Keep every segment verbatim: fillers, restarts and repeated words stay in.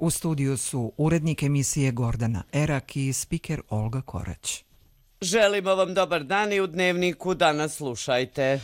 U studiju su urednik emisije Gordana Erak i spiker Olga Korać. Želimo vam dobar dan i u Dnevniku danas slušajte.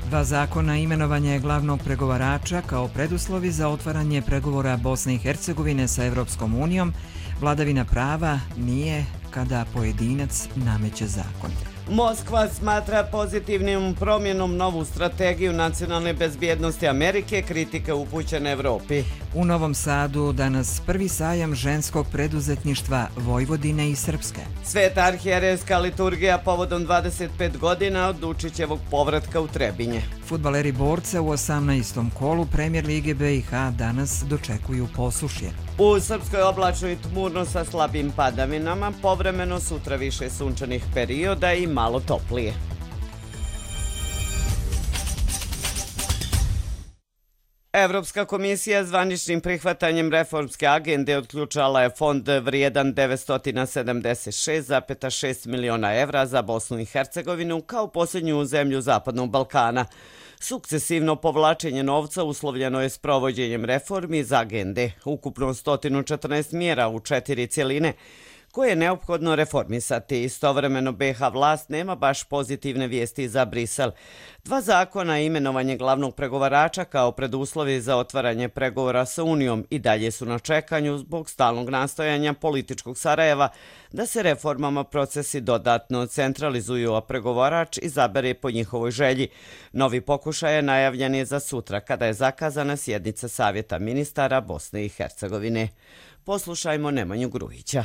Dva zakona imenovanje glavnog pregovarača kao preduslovi za otvaranje pregovora Bosne i Hercegovine sa Evropskom unijom, vladavina prava nije kada pojedinac nameće zakon. Moskva smatra pozitivnim promjenom novu strategiju nacionalne bezbjednosti Amerike, kritike upućene Evropi. U Novom Sadu danas prvi sajam ženskog preduzetništva Vojvodine i Srpske. Sveta arhijerejska liturgija povodom dvadeset pet godina od Dučićevog povratka u Trebinje. Fudbaleri Borca u osamnaestom kolu Premijer Lige B i H danas dočekuju posušje. U Srpskoj oblačno i tmurno sa slabim padavinama, povremeno sutra više sunčanih perioda i malo toplije. Evropska komisija zvaničnim prihvatanjem reformske agende otključala je fond vrijedan devetsto sedamdeset šest zarez šest miliona evra za Bosnu i Hercegovinu kao posljednju zemlju Zapadnog Balkana. Sukcesivno povlačenje novca uslovljeno je s provođenjem reformi iz agende, ukupno sto četrnaest mjera u četiri cjeline, koje je neophodno reformisati. Istovremeno B iH vlast nema baš pozitivne vijesti za Brisel. Dva zakona i imenovanje glavnog pregovarača kao preduslovi za otvaranje pregovora sa Unijom i dalje su na čekanju zbog stalnog nastojanja političkog Sarajeva da se reformama procesi dodatno centralizuju, a pregovarač izabere po njihovoj želji. Novi pokušaj je najavljen je za sutra, kada je zakazana sjednica Savjeta ministara Bosne i Hercegovine. Poslušajmo Nemanju Grujića.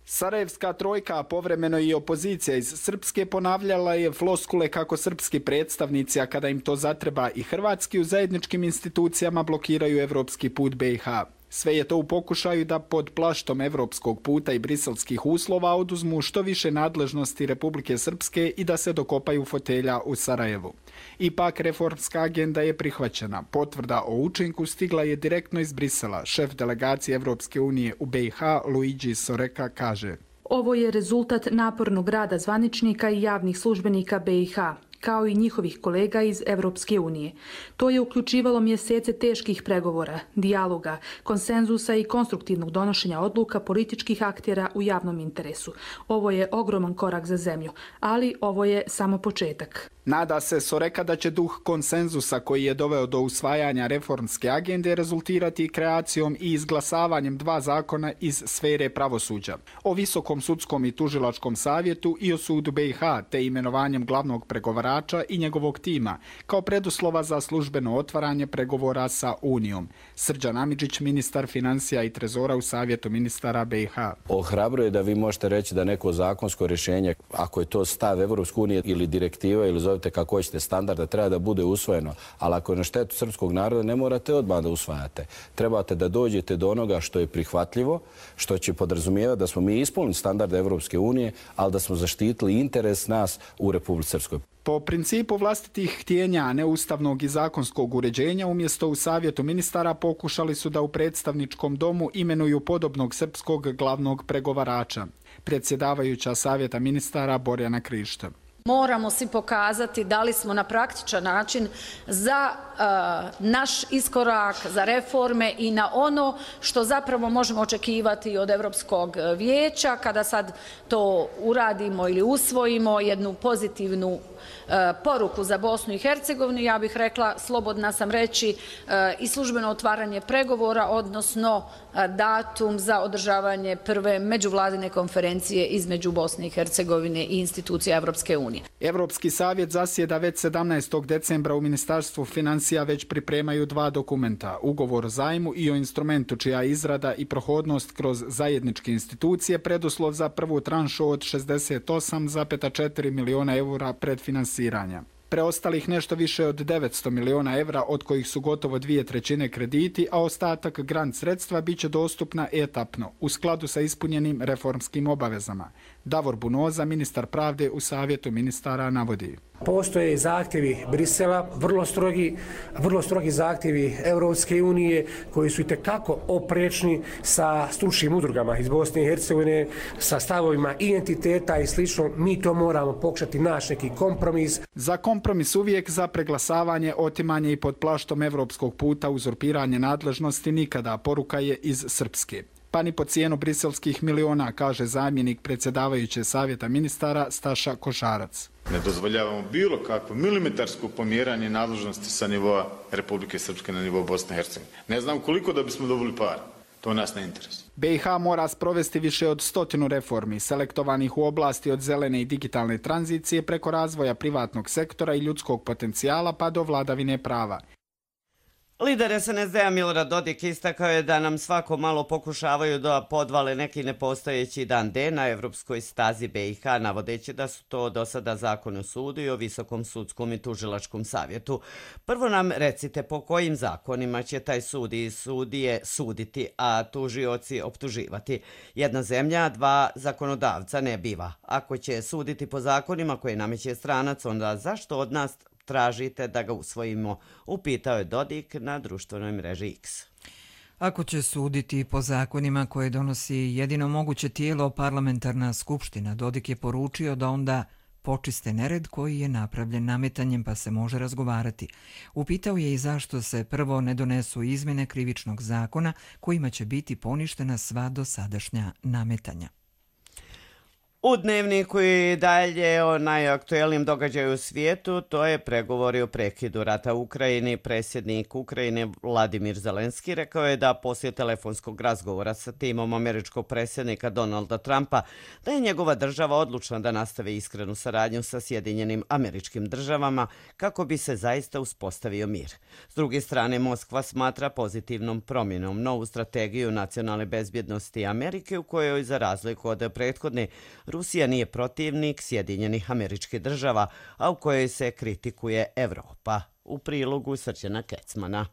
Sarajevska trojka, povremeno i opozicija iz Srpske, ponavljala je floskule kako srpski predstavnici, a kada im to zatreba i hrvatski, u zajedničkim institucijama blokiraju evropski put B iH. Sve je to u pokušaju da pod plaštom evropskog puta i briselskih uslova oduzmu što više nadležnosti Republike Srpske i da se dokopaju fotelja u Sarajevu. Ipak reformska agenda je prihvaćena. Potvrda o učinku stigla je direktno iz Brisela. Šef delegacije Evropske unije u B iH, Luigi Soreka, kaže: Ovo je rezultat napornog rada zvaničnika i javnih službenika B iH, kao i njihovih kolega iz Evropske unije. To je uključivalo mjesece teških pregovora, dijaloga, konsenzusa i konstruktivnog donošenja odluka političkih aktera u javnom interesu. Ovo je ogroman korak za zemlju, ali ovo je samo početak. Nada se Soreka da će duh konsenzusa koji je doveo do usvajanja reformske agende rezultirati kreacijom i izglasavanjem dva zakona iz sfere pravosuđa. O Visokom sudskom i tužilačkom savjetu i o sudu B iH, te imenovanjem glavnog pregovarača i njegovog tima, kao preduslova za službeno otvaranje pregovora sa Unijom. Srđan Amidžić, ministar financija i trezora u Savjetu ministara B iH. Ohrabruje da vi možete reći da neko zakonsko rješenje, ako je to stav Evropske unije ili direktiva ili zovite kako hoćete standarda, treba da bude usvojeno, ali ako je na štetu srpskog naroda, ne morate odmah da usvajate. Trebate da dođete do onoga što je prihvatljivo, što će podrazumijevati da smo mi ispunili standarde Evropske unije, ali da smo zaštitili interes nas u Republici Srpskoj. Po principu vlastitih htjenja, a ne ustavnog i zakonskog uređenja, umjesto u Savjetu ministara pokušali su da u predstavničkom domu imenuju podobnog srpskog glavnog pregovarača. Predsjedavajuća Savjeta ministara Borjana Krišta: Moramo si pokazati da li smo na praktičan način za uh, naš iskorak, za reforme i na ono što zapravo možemo očekivati od Europskog vijeća kada sad to uradimo ili usvojimo jednu pozitivnu uh, poruku za Bosnu i Hercegovinu. Ja bih rekla, slobodna sam reći, uh, i službeno otvaranje pregovora, odnosno uh, datum za održavanje prve međuvladine konferencije između Bosne i Hercegovine i institucija Evropske unije. Evropski savjet zasjeda već sedamnaestog decembra. U Ministarstvu financija već pripremaju dva dokumenta: ugovor o zajmu i o instrumentu čija izrada i prohodnost kroz zajedničke institucije preduslov za prvu tranšu od šezdeset osam zarez četiri miliona eura predfinansiranja. Preostalih nešto više od devetsto miliona evra, od kojih su gotovo dvije trećine krediti, a ostatak grant sredstva bit će dostupna etapno, u skladu sa ispunjenim reformskim obavezama. Davor Bunoza, ministar pravde u Savjetu ministara, navodi. Postoje zahtjevi Brisela, vrlo strogi, vrlo strogi zahtjevi Europske unije koji su itekako oprečni sa stručnim udrugama iz Bosne i Hercegovine, sa stavovima identiteta i slično. Mi to moramo pokušati naći neki kompromis. Za kompromis uvijek, za preglasavanje, otimanje i pod plaštom evropskog puta uzurpiranje nadležnosti nikada, poruka je iz Srpske. Pa ni po cijenu briselskih miliona, kaže zamjenik predsjedavajuće Savjeta ministara Staša Košarac. Ne dozvoljavamo bilo kakvo milimetarsko pomjeranje nadležnosti sa nivoa Republike Srpske na nivo Bosne i Hercegovine. Ne znam koliko da bismo dobili para. To nas ne interesuje. B i H mora sprovesti više od stotinu reformi, selektovanih u oblasti od zelene i digitalne tranzicije preko razvoja privatnog sektora i ljudskog potencijala pa do vladavine prava. Lider S N S D-a Milorad Dodik istakao je da nam svako malo pokušavaju da podvale neki nepostojeći dan D na evropskoj stazi B i H, navodeći da su to do sada zakon o sudu i o Visokom sudskom i tužilačkom savjetu. Prvo nam recite po kojim zakonima će taj sud i sudije suditi, a tužioci optuživati. Jedna zemlja, dva zakonodavca ne biva. Ako će suditi po zakonima koje nameće stranac, onda zašto od nas tražite da ga usvojimo, upitao je Dodik na društvenoj mreži X. Ako će suditi po zakonima koje donosi jedino moguće tijelo, parlamentarna skupština, Dodik je poručio da onda počiste nered koji je napravljen nametanjem pa se može razgovarati. Upitao je i zašto se prvo ne donesu izmjene krivičnog zakona kojima će biti poništena sva dosadašnja nametanja. U dnevniku i dalje o najaktuelnijem događaju u svijetu, to je pregovori o prekidu rata u Ukrajini. Predsjednik Ukrajine Vladimir Zelenski rekao je da poslije telefonskog razgovora sa timom američkog predsjednika Donalda Trumpa da je njegova država odlučna da nastave iskrenu saradnju sa Sjedinjenim Američkim Državama kako bi se zaista uspostavio mir. S druge strane, Moskva smatra pozitivnom promjenom novu strategiju nacionalne bezbjednosti Amerike u kojoj, za razliku od prethodne, Rusija nije protivnik Sjedinjenih Američkih Država, a u kojoj se kritikuje Evropa. U prilogu Srđana Kecmana.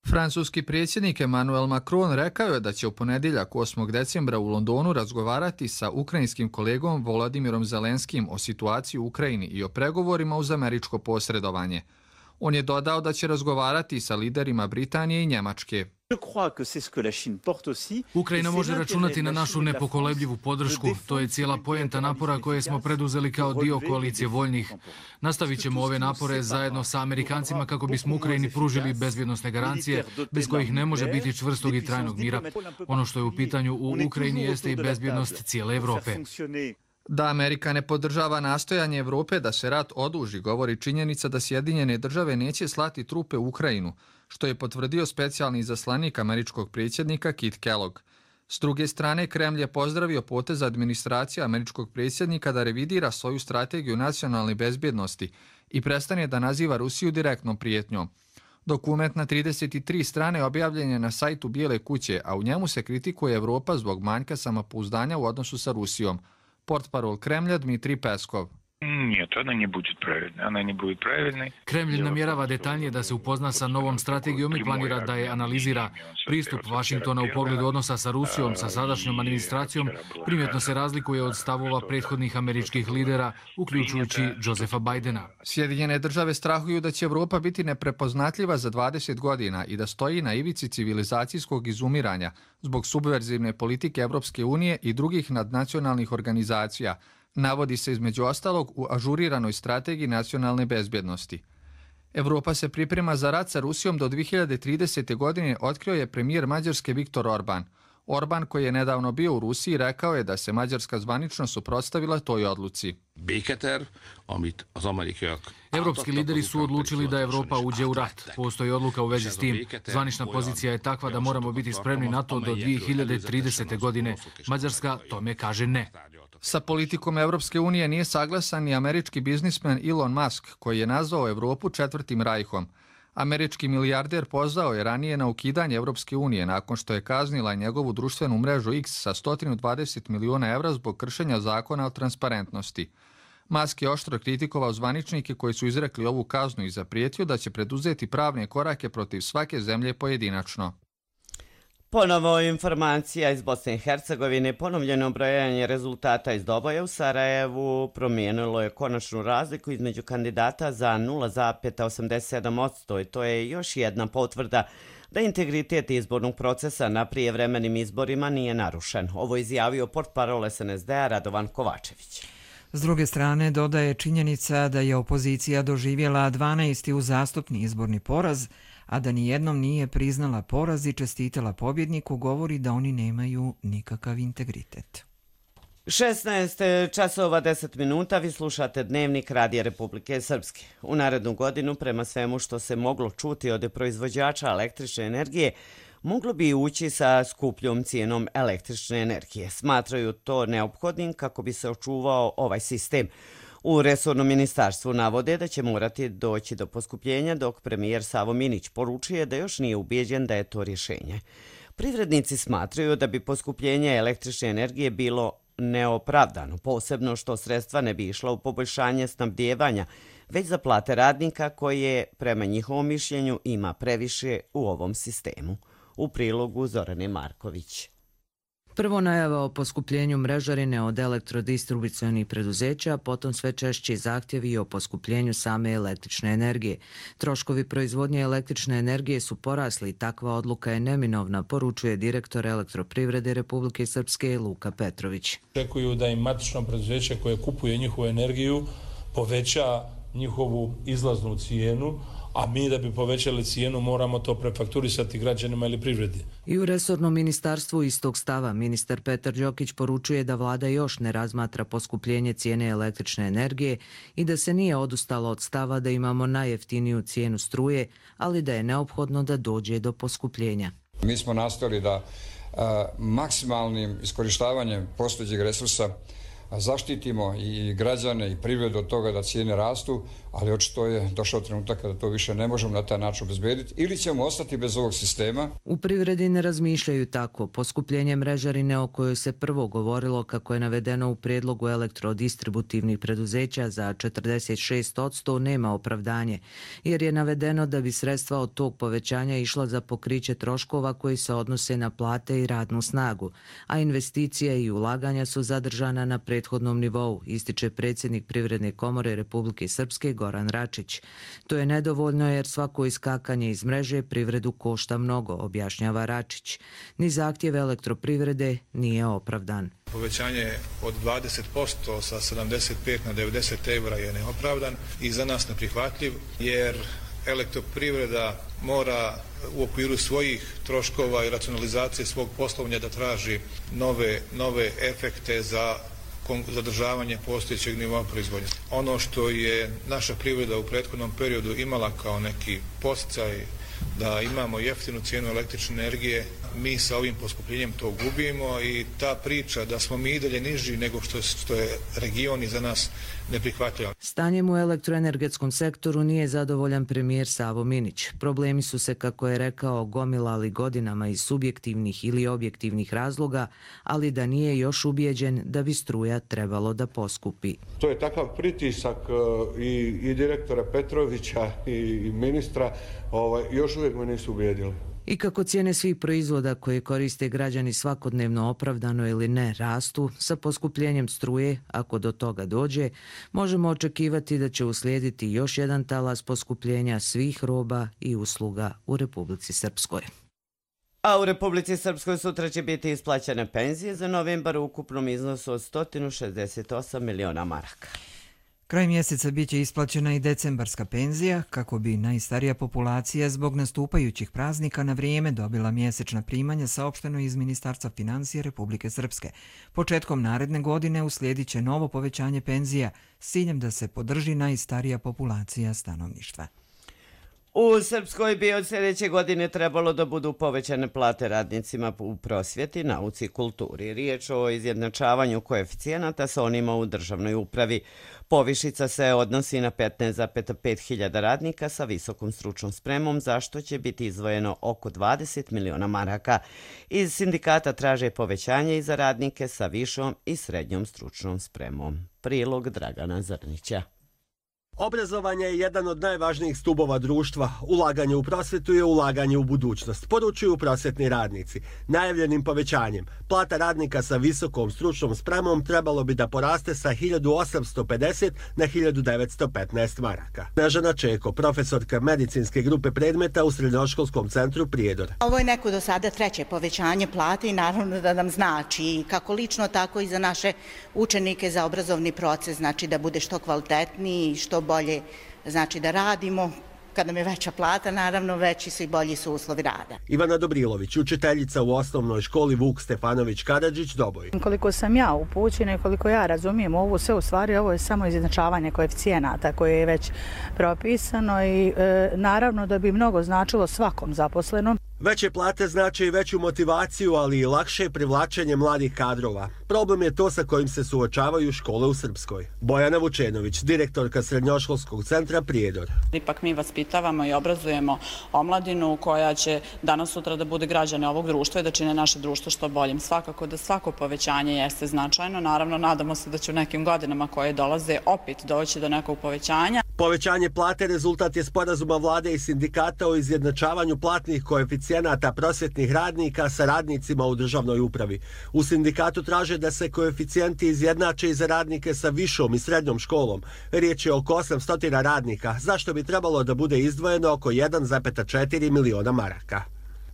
Francuski predsjednik Emmanuel Macron rekao je da će u ponedjeljak osmog decembra u Londonu razgovarati sa ukrajinskim kolegom Volodimirom Zelenskim o situaciji u Ukrajini i o pregovorima uz američko posredovanje. On je dodao da će razgovarati sa liderima Britanije i Njemačke. Ukrajina može računati na našu nepokolebljivu podršku. To je cijela poenta napora koje smo preduzeli kao dio koalicije voljnih. Nastavit ćemo ove napore zajedno sa Amerikancima kako bismo Ukrajini pružili bezbjednosne garancije bez kojih ne može biti čvrstog i trajnog mira. Ono što je u pitanju u Ukrajini jeste i bezbjednost cijele Evrope. Da Amerika ne podržava nastojanje Evrope da se rat oduži, govori činjenica da Sjedinjene države neće slati trupe u Ukrajinu, što je potvrdio specijalni izaslanik američkog predsjednika Kit Kellogg. S druge strane, Kremlj je pozdravio potez administracije američkog predsjednika da revidira svoju strategiju nacionalne bezbjednosti i prestane da naziva Rusiju direktnom prijetnjom. Dokument na trideset tri strane objavljen je na sajtu Bijele kuće, a u njemu se kritikuje Evropa zbog manjka samopouzdanja u odnosu sa Rusijom. Portparol Kremlja Dmitrij Peskov. Kremlj namjerava detaljnije da se upozna sa novom strategijom i planira da je analizira. Pristup Vašingtona u pogledu odnosa sa Rusijom, sa sadašnjom administracijom, primjetno se razlikuje od stavova prethodnih američkih lidera, uključujući Josefa Bidena. Sjedinjene države strahuju da će Evropa biti neprepoznatljiva za dvadeset godina i da stoji na ivici civilizacijskog izumiranja zbog subverzivne politike Evropske unije i drugih nadnacionalnih organizacija, navodi se između ostalog u ažuriranoj strategiji nacionalne bezbjednosti. Evropa se priprema za rat sa Rusijom do dvije hiljade tridesete. godine, otkrio je premijer Mađarske Viktor Orban. Orban, koji je nedavno bio u Rusiji, rekao je da se Mađarska zvanično suprotstavila toj odluci. Evropski lideri su odlučili da Evropa uđe u rat. Postoji odluka u vezi s tim. Zvanična pozicija je takva da moramo biti spremni na to do dvije hiljade tridesete. godine. Mađarska tome kaže ne. Sa politikom Evropske unije nije saglasan ni američki biznismen Elon Musk, koji je nazvao Evropu četvrtim rajhom. Američki milijarder pozvao je ranije na ukidanje Evropske unije nakon što je kaznila njegovu društvenu mrežu X sa sto dvadeset miliona evra zbog kršenja zakona o transparentnosti. Musk je oštro kritikovao zvaničnike koji su izrekli ovu kaznu i zaprijetio da će preduzeti pravne korake protiv svake zemlje pojedinačno. Ponovo informacija iz Bosne i Hercegovine. Ponovljeno brojanje rezultata iz Doboja u Sarajevu promijenilo je konačnu razliku između kandidata za nula zarez osamdeset sedam posto i to je još jedna potvrda da integritet izbornog procesa na prijevremenim izborima nije narušen. Ovo je izjavio portparol es en es de a Radovan Kovačević. S druge strane, dodaje činjenica da je opozicija doživjela dvanaesti uzastopni izborni poraz, a da nijednom nije priznala poraz i čestitala pobjedniku, govori da oni nemaju nikakav integritet. šesnaest časova deset minuta, vi slušate Dnevnik Radija Republike Srpske. U narednu godinu, prema svemu što se moglo čuti od proizvođača električne energije, moglo bi ući sa skupljom cijenom električne energije. Smatraju to neophodnim kako bi se očuvao ovaj sistem. U resornom ministarstvu navode da će morati doći do poskupljenja, dok premijer Savo Minić poručuje da još nije ubijeđen da je to rješenje. Privrednici smatraju da bi poskupljenje električne energije bilo neopravdano, posebno što sredstva ne bi išla u poboljšanje snabdijevanja, već za plate radnika koje, prema njihovom mišljenju, ima previše u ovom sistemu. U prilogu Zorane Marković. Prvo najava o poskupljenju mrežarine od elektrodistribucionih preduzeća, potom sve češći zahtjevi o poskupljenju same električne energije. Troškovi proizvodnje električne energije su porasli i takva odluka je neminovna, poručuje direktor Elektroprivrede Republike Srpske Luka Petrović. Očekuju da im matično preduzeće koje kupuje njihovu energiju poveća njihovu izlaznu cijenu, a mi da bi povećali cijenu moramo to prefakturisati građanima ili privredi. I u resornom ministarstvu istog stava ministar Petar Đokić poručuje da vlada još ne razmatra poskupljenje cijene električne energije i da se nije odustalo od stava da imamo najjeftiniju cijenu struje, ali da je neophodno da dođe do poskupljenja. Mi smo nastojali da a, maksimalnim iskorištavanjem postojećeg resursa zaštitimo i građane i privredu od toga da cijene rastu, ali očito je došao trenutak kada to više ne možemo na taj način obezbediti ili ćemo ostati bez ovog sistema. U privredi ne razmišljaju tako. Poskupljenje mrežarine o kojoj se prvo govorilo kako je navedeno u prijedlogu elektrodistributivnih preduzeća za četrdeset šest posto nema opravdanje, jer je navedeno da bi sredstva od tog povećanja išla za pokriće troškova koji se odnose na plate i radnu snagu, a investicije i ulaganja su zadržana na prethodnom nivou, ističe predsjednik Privredne komore Republike Srpske Goran Račić. To je nedovoljno jer svako iskakanje iz mreže privredu košta mnogo, objašnjava Račić. Ni zahtjev elektroprivrede nije opravdan. Povećanje od dvadeset posto sa sedamdeset pet na devedeset eura je neopravdan i za nas neprihvatljiv, jer elektroprivreda mora u okviru svojih troškova i racionalizacije svog poslovanja da traži nove, nove efekte za zadržavanje postojećeg nivoa proizvodnje. Ono što je naša privreda u prethodnom periodu imala kao neki podsticaj da imamo jeftinu cijenu električne energije, mi sa ovim poskupljenjem to gubimo i ta priča da smo mi i dalje niži nego što, što je region i za nas neprihvatljivo. Stanjem u elektroenergetskom sektoru nije zadovoljan premijer Savo Minić. Problemi su se, kako je rekao, gomilali godinama iz subjektivnih ili objektivnih razloga, ali da nije još ubijeđen da bi struja trebalo da poskupi. To je takav pritisak i, i direktora Petrovića i, i ministra, ovaj, još uvijek me nisu ubijedili. I kako cijene svih proizvoda koje koriste građani svakodnevno opravdano ili ne rastu, sa poskupljenjem struje, ako do toga dođe, možemo očekivati da će uslijediti još jedan talas poskupljenja svih roba i usluga u Republici Srpskoj. A u Republici Srpskoj sutra će biti isplaćene penzije za novembar u ukupnom iznosu od sto šezdeset osam miliona maraka. Kraj mjeseca biće isplaćena i decembarska penzija, kako bi najstarija populacija zbog nastupajućih praznika na vrijeme dobila mjesečna primanja, saopšteno iz Ministarstva financija Republike Srpske. Početkom naredne godine uslijedit će novo povećanje penzija s ciljem da se podrži najstarija populacija stanovništva. U Srpskoj bi od sljedeće godine trebalo da budu povećane plate radnicima u prosvjeti, nauci i kulturi. Riječ o izjednačavanju koeficijenata sa onima u državnoj upravi. Povišica se odnosi na petnaest zarez pet hiljada radnika sa visokom stručnom spremom, za što će biti izdvojeno oko dvadeset miliona maraka. Iz sindikata traže povećanje i za radnike sa višom i srednjom stručnom spremom. Prilog Dragana Zrnića. Obrazovanje je jedan od najvažnijih stubova društva. Ulaganje u prosvetu je ulaganje u budućnost, poručuju prosvetni radnici. Najavljenim povećanjem plata radnika sa visokom stručnom spremom trebalo bi da poraste sa hiljadu osamsto pedeset na hiljadu devetsto petnaest maraka. Snežana Čeko, profesorka medicinske grupe predmeta u Srednjoškolskom centru Prijedor. Ovo je neko do sada treće povećanje plate i naravno da nam znači kako lično, tako i za naše učenike, za obrazovni proces, znači da bude što kvalitetniji i što bolje, znači da radimo. Kad nam je veća plata, naravno veći su i bolji su uslovi rada. Ivana Dobrilović, učiteljica u osnovnoj školi Vuk Stefanović Karadžić, Doboj. Koliko sam ja upućena i koliko ja razumijem ovo sve, u stvari ovo je samo izjednačavanje koeficijenata koje je već propisano i e, naravno da bi mnogo značilo svakom zaposlenom. Veće plate znači i veću motivaciju, ali i lakše privlačenje mladih kadrova. Problem je to sa kojim se suočavaju škole u Srpskoj. Bojana Vučenović, direktorka Srednjoškolskog centra Prijedor. Ipak mi vaspitavamo i obrazujemo omladinu koja će danas sutra da bude građane ovog društva i da čine naše društvo što boljim. Svakako da svako povećanje jeste značajno. Naravno, nadamo se da će u nekim godinama koje dolaze opet doći do nekog povećanja. Povećanje plate rezultat je sporazuma vlade i sindikata o izjednačavanju platnih koeficijenata prosvetnih radnika sa radnicima u državnoj upravi. U sindikatu traže da se koeficijenti izjednače i za radnike sa višom i srednjom školom. Riječ je oko osamsto radnika, zašto bi trebalo da bude izdvojeno oko jedan zarez četiri miliona maraka.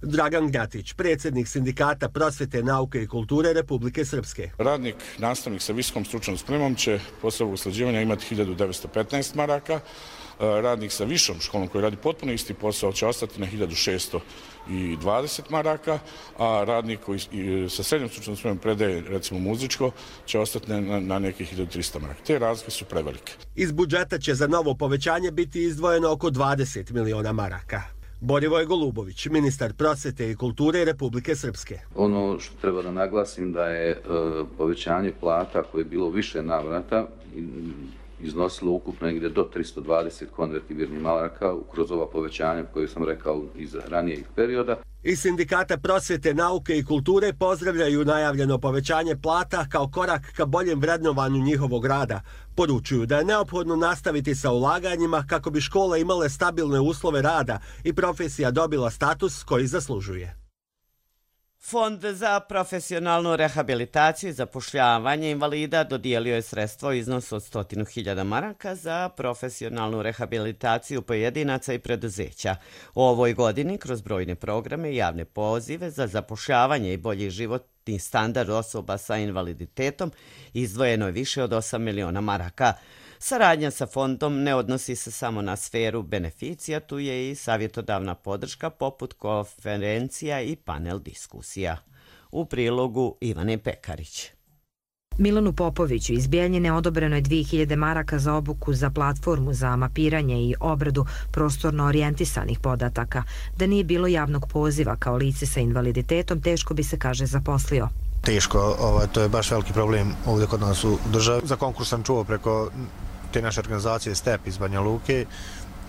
Dragan Gnjatić, predsjednik sindikata prosvete, nauke i kulture Republike Srpske. Radnik, nastavnik sa visokom stručnom spremom će posle usklađivanja imati hiljadu devetsto petnaest maraka, radnik sa višom školom koji radi potpuno isti posao će ostati na hiljadu šesto dvadeset maraka, a radnik koji sa srednjom stručnom spremom predaje recimo muzičko će ostati na, na nekih hiljadu trista maraka. Te razlike su prevelike. Iz budžeta će za novo povećanje biti izdvojeno oko dvadeset miliona maraka. Borivoj Golubović, ministar prosvete i kulture Republike Srpske. Ono što treba da naglasim da je e, povećanje plata koje je bilo više navrata iznosilo ukupno negdje do tristo dvadeset konvertibilnih maraka kroz ova povećanja koje sam rekao iz ranijeg perioda. Iz sindikata prosvete, nauke i kulture pozdravljaju najavljeno povećanje plata kao korak ka boljem vrednovanju njihovog rada. Poručuju da je neophodno nastaviti sa ulaganjima kako bi škole imale stabilne uslove rada i profesija dobila status koji zaslužuje. Fond za profesionalnu rehabilitaciju i zapošljavanje invalida dodijelio je sredstvo u iznosu od sto hiljada maraka za profesionalnu rehabilitaciju pojedinaca i preduzeća. U ovoj godini kroz brojne programe i javne pozive za zapošljavanje i bolji životni standard osoba sa invaliditetom izdvojeno je više od osam miliona maraka. Saradnja sa fondom ne odnosi se samo na sferu beneficija, tu je i savjetodavna podrška poput konferencija i panel diskusija. U prilogu Ivane Pekarić. Milanu Popoviću iz Bijeljine odobreno je dvije hiljade maraka za obuku za platformu za mapiranje i obradu prostorno orijentisanih podataka. Da nije bilo javnog poziva kao lice sa invaliditetom, teško bi se, kaže, zaposlio. Teško, ovaj, to je baš veliki problem ovdje kod nas u državi. Za konkurs sam čuo preko te naše organizacije STEP iz Banja Luke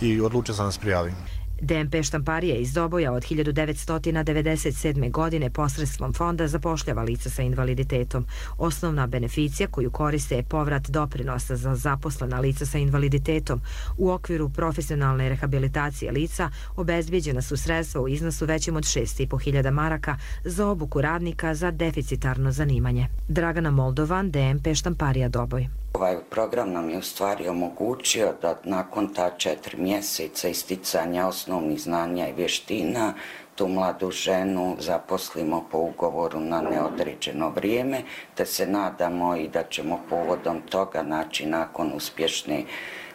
i odlučio sam da se prijavim. D M P Štamparija iz Doboja od hiljadu devetsto devedeset sedme. godine posredstvom fonda zapošljava lica sa invaliditetom. Osnovna beneficija koju koriste je povrat doprinosa za zaposlena lica sa invaliditetom. U okviru profesionalne rehabilitacije lica obezbijeđena su sredstva u iznosu većem od šest i po hiljada maraka za obuku radnika za deficitarno zanimanje. Dragana Moldovan, D M P Štamparija Doboj. Ovaj program nam je u stvari omogućio da nakon ta četiri mjeseca isticanja osnovnih znanja i vještina tu mladu ženu zaposlimo po ugovoru na neodređeno vrijeme, te se nadamo i da ćemo povodom toga, znači nakon uspješne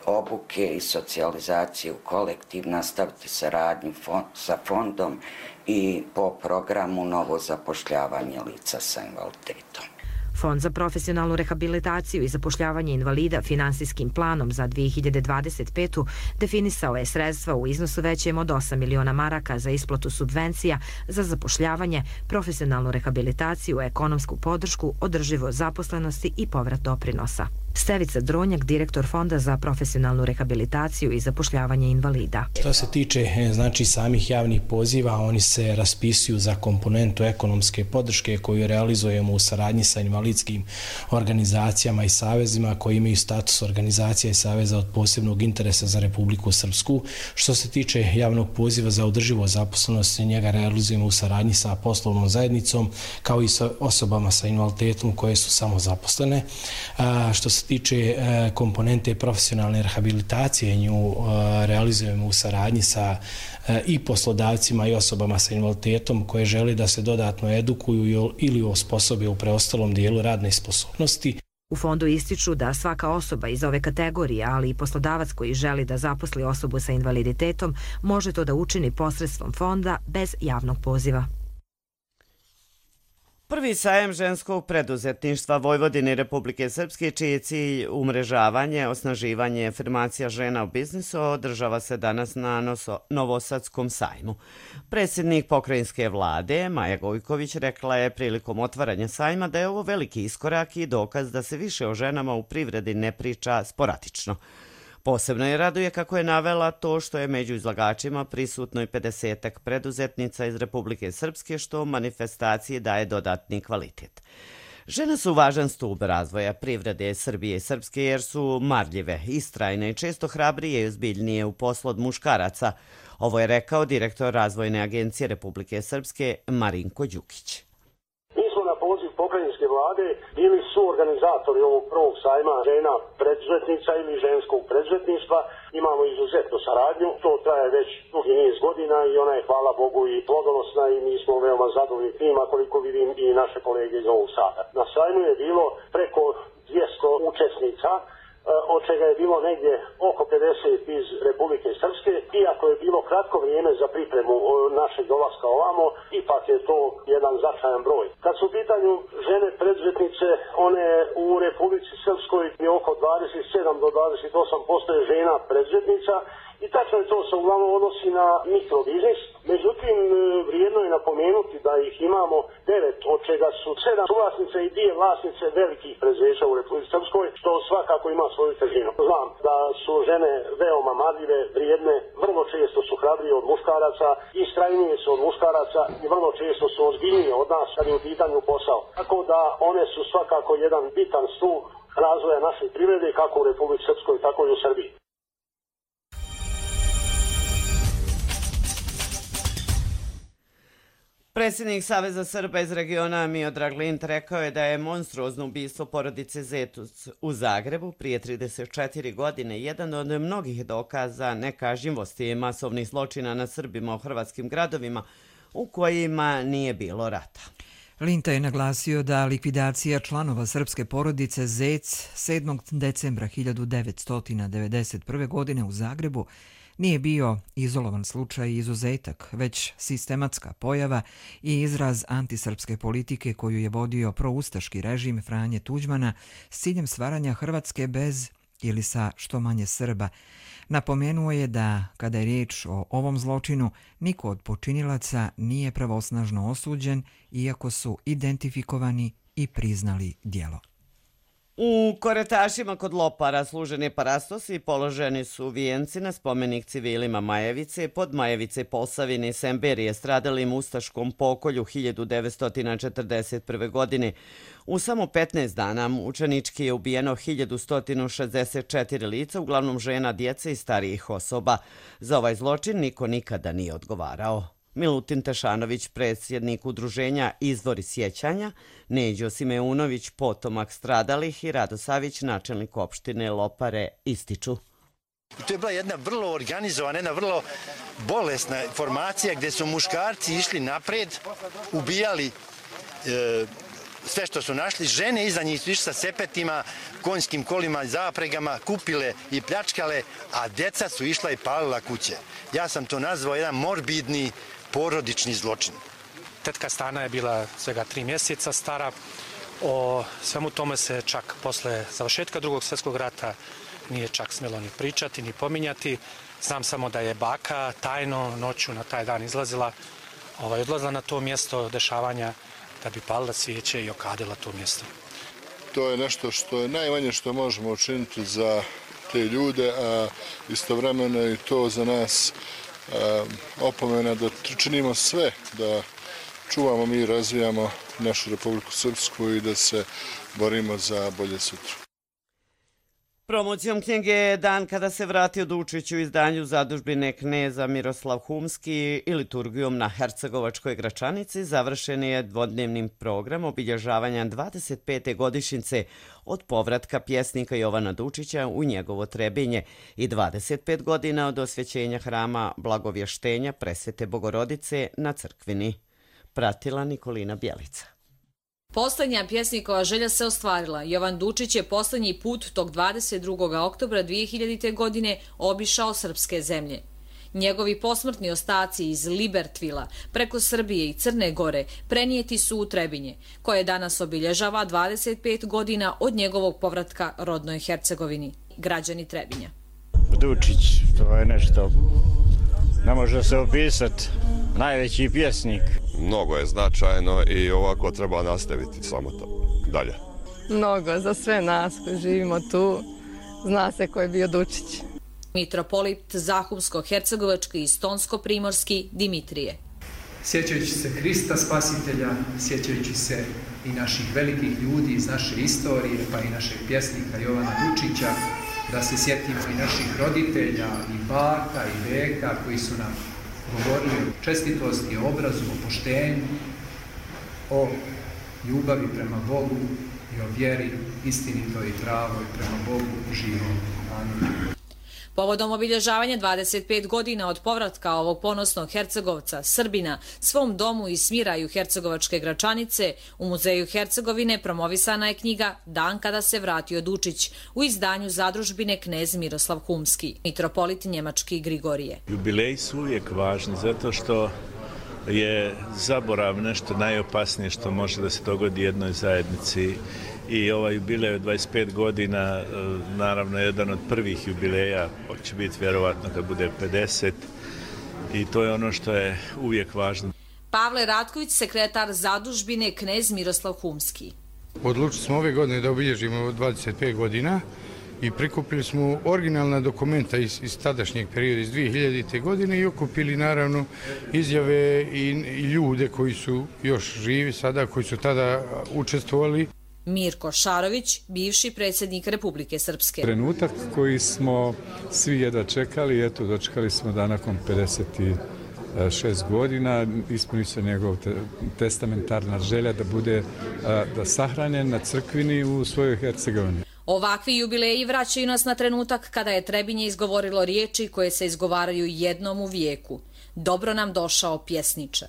obuke i socijalizacije u kolektiv nastaviti saradnju sa fondom i po programu novo zapošljavanje lica sa invaliditetom. Fond za profesionalnu rehabilitaciju i zapošljavanje invalida finansijskim planom za dvije hiljade dvadeset petu. definisao je sredstva u iznosu većem od osam miliona maraka za isplatu subvencija za zapošljavanje, profesionalnu rehabilitaciju, ekonomsku podršku, održivo zaposlenosti i povrat doprinosa. Stevica Dronjak, direktor Fonda za profesionalnu rehabilitaciju i zapošljavanje invalida. Što se tiče znači samih javnih poziva, oni se raspisuju za komponentu ekonomske podrške koju realizujemo u saradnji sa invalidskim organizacijama i savezima koji imaju status organizacija i saveza od posebnog interesa za Republiku Srpsku. Što se tiče javnog poziva za održivo zaposlenost, njega realizujemo u saradnji sa poslovnom zajednicom kao i sa osobama sa invaliditetom koje su samozaposlene. A, što se tiče komponente profesionalne rehabilitacije, nju realizujemo u saradnji sa i poslodavcima i osobama sa invaliditetom koje žele da se dodatno edukuju ili osposobe u preostalom dijelu radne sposobnosti. U fondu ističu da svaka osoba iz ove kategorije, ali i poslodavac koji želi da zaposli osobu sa invaliditetom, može to da učini posredstvom fonda bez javnog poziva. Prvi sajem ženskog preduzetništva Vojvodine i Republike Srpske, čiji je cilj umrežavanje, osnaživanje i afirmacija žena u biznisu, održava se danas na Novosadskom sajmu. Predsjednik pokrajinske vlade, Maja Gojković, rekla je prilikom otvaranja sajma da je ovo veliki iskorak i dokaz da se više o ženama u privredi ne priča sporadično. Posebno je raduje kako je navela to što je među izlagačima prisutno i pedesetak preduzetnica iz Republike Srpske, što manifestaciji daje dodatni kvalitet. Žene su važan stub razvoja privrede Srbije i Srpske jer su marljive, istrajne i često hrabrije i ozbiljnije u poslu od muškaraca. Ovo je rekao direktor Razvojne agencije Republike Srpske Marinko Đukić. Pokrajinske vlade bili su organizatori ovog prvog sajma žena preduzetnica ili ženskog preduzetništva. Imamo izuzetnu saradnju, to traje već dugi niz godina i ona je, hvala Bogu, i plodonosna i mi smo veoma zadovoljni tima, koliko vidim i naše kolege iz ovog sada. Na sajmu je bilo preko dvjesto učesnica, od čega je bilo negdje oko pedeset iz Republike Srpske. Iako je bilo kratko vrijeme za pripremu našeg dolaska ovamo, ipak je to jedan značajan broj. Kad su u pitanju žene preduzetnice, one u Republici Srpskoj je oko dvadeset sedam do dvadeset osam posto je žena preduzetnica i tačno je to se uglavnom odnosi na mikrobiznis. Međutim, vrijedno je napomenuti da ih imamo devet, od čega su sedam suvlasnice i dvije vlasnice velikih preduzeća u Republici Srpskoj, što svakako ima svoju težinu. Znam da su žene veoma marljive, vrijedne, vrlo često su hrabrije od muškaraca, istrajnije su od muškaraca i vrlo često su ozbiljnije od nas kad je u pitanju posao. Tako da one su svakako jedan bitan stup razvoja naše privrede kako u Republici Srpskoj, tako i u Srbiji. Predsjednik Saveza Srba iz regiona Miodrag Lint rekao je da je monstruozno ubistvo porodice Zetuc u Zagrebu prije trideset četiri godine jedan od mnogih dokaza nekažnjivosti masovnih zločina na Srbima u hrvatskim gradovima u kojima nije bilo rata. Linta je naglasio da likvidacija članova srpske porodice Zec sedmog decembra hiljadu devetsto devedeset prve. godine u Zagrebu nije bio izolovan slučaj i izuzetak, već sistematska pojava i izraz antisrpske politike koju je vodio proustaški režim Franje Tuđmana s ciljem stvaranja Hrvatske bez ili sa što manje Srba. Napomenuo je da, kada je riječ o ovom zločinu, niko od počinilaca nije pravosnažno osuđen, iako su identifikovani i priznali djelo. U Koretašima kod Lopara služeni parastosi položeni su vijenci na spomenik civilima Majevice, pod Majevice Posavine i Semberije stradalim ustaškom pokolju hiljadu devetsto četrdeset prve. godine. U samo petnaest dana mučenički je ubijeno hiljadu sto šezdeset četiri lica, uglavnom žena, djece i starijih osoba. Za ovaj zločin niko nikada nije odgovarao. Milutin Tešanović, predsjednik udruženja Izvori sjećanja, Neđo Simeunović, potomak stradalih i Rado Savić, načelnik opštine Lopare, ističu. To je bila jedna vrlo organizovana, jedna vrlo bolesna formacija gdje su muškarci išli napred, ubijali e, sve što su našli, žene iza njih su išli sa sepetima, konjskim kolima i zapregama, kupile i pljačkale, a djeca su išla i palila kuće. Ja sam to nazvao jedan morbidni porodični zločin. Tetka Stana je bila svega tri mjeseca stara. O svemu tome se čak posle završetka drugog svjetskog rata nije čak smjelo ni pričati, ni pominjati. Znam samo da je baka tajno noću na taj dan izlazila, ovaj, odlazila na to mjesto dešavanja da bi palila svijeće i okadila to mjesto. To je nešto što je najmanje što možemo učiniti za te ljude, a istovremeno je to za nas opomena da činimo sve da čuvamo mi i razvijamo našu Republiku Srpsku i da se borimo za bolje sutra. Promocijom knjige Dan kada se vratio Dučić u izdanju zadužbine kneza Miroslav Humski i liturgijom na Hercegovačkoj Gračanici završen je dvodnevnim program obilježavanja dvadeset pete godišnjice od povratka pjesnika Jovana Dučića u njegovo Trebinje i dvadeset pet godina od osvećenja hrama Blagovještenja Presvete Bogorodice na Crkvini. Pratila Nikolina Bjelica. Poslednja pjesnikova želja se ostvarila. Jovan Dučić je poslednji put tog dvadeset drugog oktobra dvije hiljadite. godine obišao srpske zemlje. Njegovi posmrtni ostaci iz Libertvila preko Srbije i Crne Gore prenijeti su u Trebinje, koje danas obilježava dvadeset pet godina od njegovog povratka rodnoj Hercegovini. Građani Trebinja. Dučić, to je nešto, ne može se opisati, najveći pjesnik. Mnogo je značajno i ovako treba nastaviti samo to dalje. Mnogo za sve nas koji živimo tu, zna se ko je bio Dučić. Mitropolit Zahumsko-Hercegovački i Stonsko-Primorski Dimitrije. Sjećajući se Hrista Spasitelja, sjećajući se i naših velikih ljudi iz naše istorije, pa i našeg pjesnika Jovana Dučića, da se sjetimo i naših roditelja, i baka, i deka koji su nam govorili o čestitosti, o obrazu, o poštenju, o ljubavi prema Bogu i o vjeri istinitoj i pravoj prema Bogu živom. Amin. Povodom obilježavanja dvadeset pet godina od povratka ovog ponosnog Hercegovca, Srbina, svom domu i smiraju Hercegovačke Gračanice, u Muzeju Hercegovine promovisana je knjiga Dan kada se vratio Dučić u izdanju zadužbine knez Miroslav Humski, mitropolit njemački Grigorije. Jubileji su uvijek važni zato što je zaborav nešto najopasnije što može da se dogodi jednoj zajednici. I ovaj jubilej od dvadeset pet godina, naravno, je jedan od prvih jubileja, će biti vjerovatno kad bude pedeset, i to je ono što je uvijek važno. Pavle Ratković, sekretar zadužbine knez Miroslav Humski. Odlučili smo ove godine da obilježimo dvadeset pet godina i prikupili smo originalna dokumenta iz, iz tadašnjeg perioda, iz dvije hiljadite. godine i okupili naravno izjave i, i ljude koji su još živi sada, koji su tada učestvovali. Mirko Šarović, bivši predsjednik Republike Srpske. Trenutak koji smo svi jedva čekali, eto, dočekali smo da nakon pedeset šest godina ispuni se njegov testamentarna želja da bude da sahranjen na crkvini u svojoj Hercegovini. Ovakvi jubileji vraćaju nas na trenutak kada je Trebinje izgovorilo riječi koje se izgovaraju jednom u vijeku. Dobro nam došao pjesniče.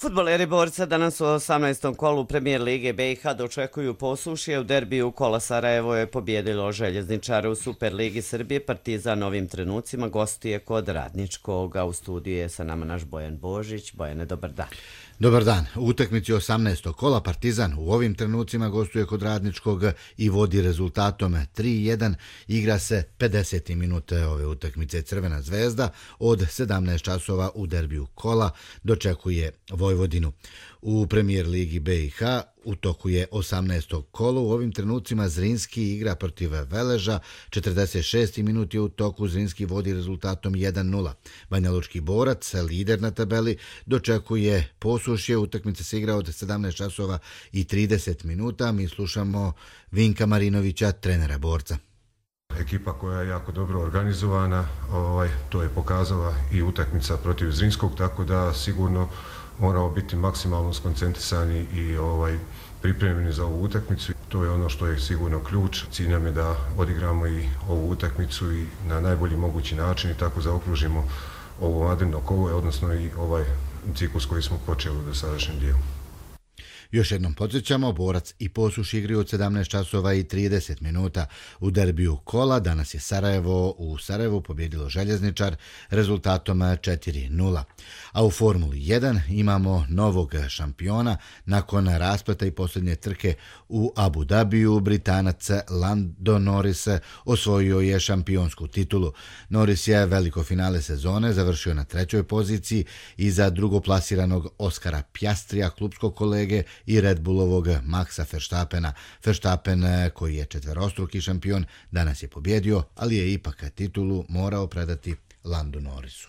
Fudbaleri Borca danas u osamnaestom kolu Premijer Lige B i H dočekuju posušje. U derbiju Kola Sarajevo je pobjedilo željezničara. U Superligi Srbije Partizan ovim trenucima gostuje kod Radničkog, a u studiju je sa nama naš Bojan Božić. Bojane, dobar dan. Dobar dan. U utakmici osamnaestog kola Partizan u ovim trenucima gostuje kod Radničkog i vodi rezultatom tri jedan. Igra se pedesete minute ove utakmice. Crvena zvezda od sedamnaest časova u derbiju kola dočekuje Vojvodinu. U Premijer Ligi B i H u toku je osamnaesto kolo. U ovim trenucima Zrinski igra protiv Veleža. četrdeset šesti minut je u toku. Zrinski vodi rezultatom jedan nula. Banjalučki Borac, lider na tabeli, dočekuje posušje. Utakmica se igra od sedamnaest časova i trideset minuta. Mi slušamo Vinka Marinovića, trenera Borca. Ekipa koja je jako dobro organizovana, ovaj, to je pokazala i utakmica protiv Zrinskog, tako da sigurno moramo biti maksimalno skoncentrisani i ovaj, pripremljeni za ovu utakmicu. To je ono što je sigurno ključ. Cilj nam je da odigramo i ovu utakmicu i na najbolji mogući način i tako zaokružimo ovo vanredno kolo, odnosno i ovaj ciklus koji smo počeli u dosadašnjem dijelu. Još jednom podsjećamo, Borac i Posuš igraju od sedamnaest časova i trideset minuta. U derbiju kola danas je Sarajevo u Sarajevu pobjedilo Željezničar rezultatom četiri nula. A u Formuli jedan imamo novog šampiona. Nakon raspleta i posljednje trke u Abu Dhabiju, Britanac Lando Norris osvojio je šampionsku titulu. Norris je veliko finale sezone završio na trećoj poziciji iza drugoplasiranog Oskara Piastrija, klubskog kolege, i Red Bullovog Maxa Verstappena. Verstappen, koji je četverostruki šampion, danas je pobjedio, ali je ipak titulu morao predati Landu Norrisu.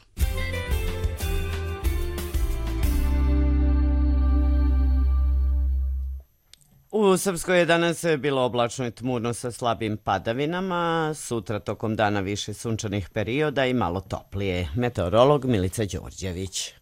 U Srpskoj je danas bilo oblačno i tmurno sa slabim padavinama, sutra tokom dana više sunčanih perioda i malo toplije. Meteorolog Milica Đorđević.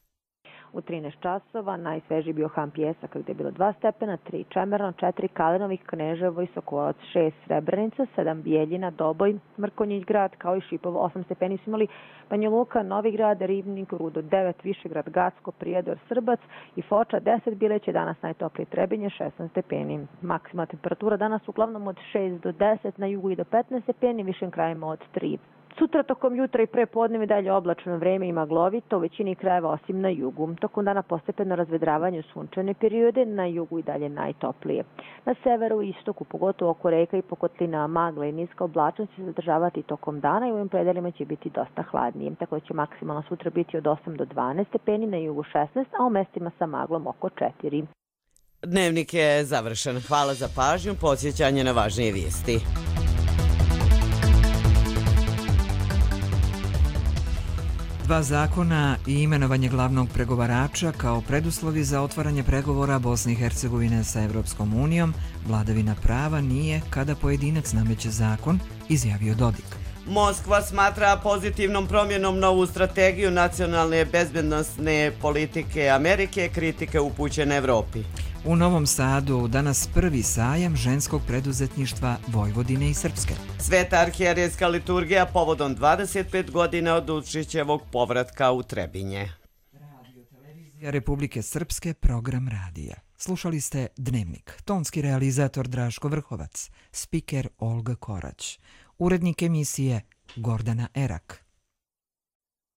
U trinaest časova najsvežiji bio Han Pjesak gdje je bilo dva stepena, tri Čemerno, četiri Kalinovih, Kneževo i Sokolac, šest Srebrenica, sedam Bijeljina, Doboj, Mrkonjić grad kao i Šipovo, osam stepeni su imali Banja Luka, Novi grad, Ribnik, Rudo devet, Višegrad, Gacko, Prijedor, Srbac i Foča deset, Bileć je danas najtoplije Trebinje šesnaest stepeni. Maksimalna temperatura danas uglavnom od šest do deset, na jugu i do petnaest stepeni, višim krajima od tri. Sutra tokom jutra i pre podneva dalje oblačno vreme i maglovito u većini krajeva osim na jugu. Tokom dana postepeno razvedravanje u sunčane periode, na jugu i dalje najtoplije. Na severu i istoku, pogotovo oko reka i pokotlina, magla i niska oblačnost će se zadržavati tokom dana i u ovim predelima će biti dosta hladnije. Tako da će maksimalno sutra biti od osam do dvanaest stepeni, na jugu šesnaest, a u mestima sa maglom oko četiri. Dnevnik je završen. Hvala za pažnju, podsjećanje na važnije vijesti. Dva zakona i imenovanje glavnog pregovarača kao preduslovi za otvaranje pregovora Bosne i Hercegovine sa Evropskom unijom, vladavina prava nije kada pojedinac nameće zakon, izjavio Dodik. Moskva smatra pozitivnom promjenom novu strategiju nacionalne bezbednosne politike Amerike, kritike upućene Evropi. U Novom Sadu danas prvi sajam ženskog preduzetništva Vojvodine i Srpske. Sveta arhijerejska liturgija povodom dvadeset pet godina od Učićevog povratka u Trebinje. Radiotelevizija Republike Srpske, program radija. Slušali ste Dnevnik. Tonski realizator Draško Vrhovac, spiker Olga Korać, urednik emisije Gordana Erak.